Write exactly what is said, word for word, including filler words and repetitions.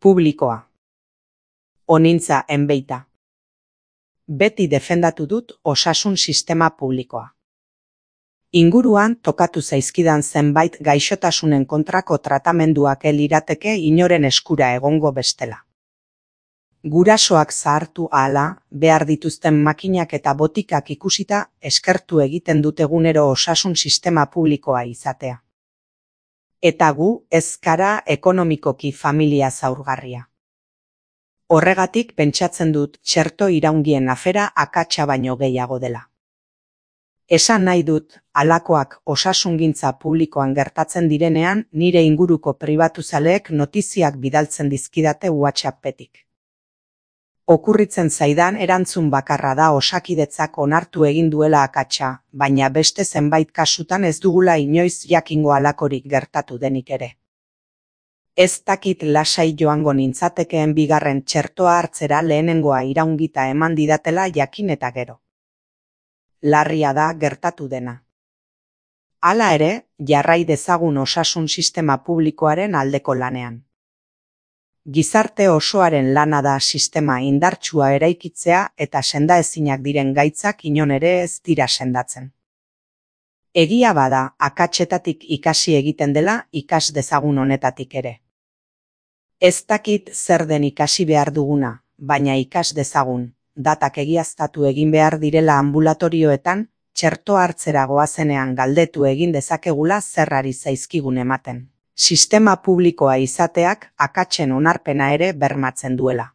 Publikoa. Onintza enbeita. Beti defendatu dut osasun sistema publikoa. Inguruan tokatu zaizkidan zenbait gaixotasunen kontrako tratamenduak lirateke inoren eskura egongo bestela. Gurasoak zahartu ahala, behar dituzten makinak eta botikak ikusita eskertu egiten dut egunero osasun sistema publikoa izatea. Eta gu ez gara ekonomikoki familia zaurgarria. Horregatik pentsatzen dut txerto iraungien afera akatsa baino gehiago dela. Esan nahi dut, halakoak osasungintza publikoan gertatzen direnean nire inguruko pribatuzaleek notiziak bidaltzen dizkidate WhatsAppetik. Okurritzen zaidan erantzun bakarra da Osakidetzak onartu egin duela akatsa, baina beste zenbait kasutan ez dugula inoiz jakingo halakorik gertatu denik ere. Ez dakit lasai joango nintzatekeen bigarren txertoa hartzera lehenengoa iraungita eman didatela jakin eta gero. Larria da gertatu dena. Hala ere, jarrai dezagun osasun sistema publikoaren aldeko lanean. Gizarte osoaren lana da sistema indartsua eraikitzea eta sendaezinak diren gaitzak inon ere ez dira sendatzen. Egia bada, akatsetatik ikasi egiten dela ikas dezagun honetatik ere. Ez dakit zer den ikasi behar duguna, baina ikas dezagun, datak egiaztatu egin behar direla ambulatorioetan, txerto hartzera goazenean galdetu egin dezakegula zerrari zaizkigun ematen. Sistema publikoa izateak akatsen onarpena ere bermatzen duela.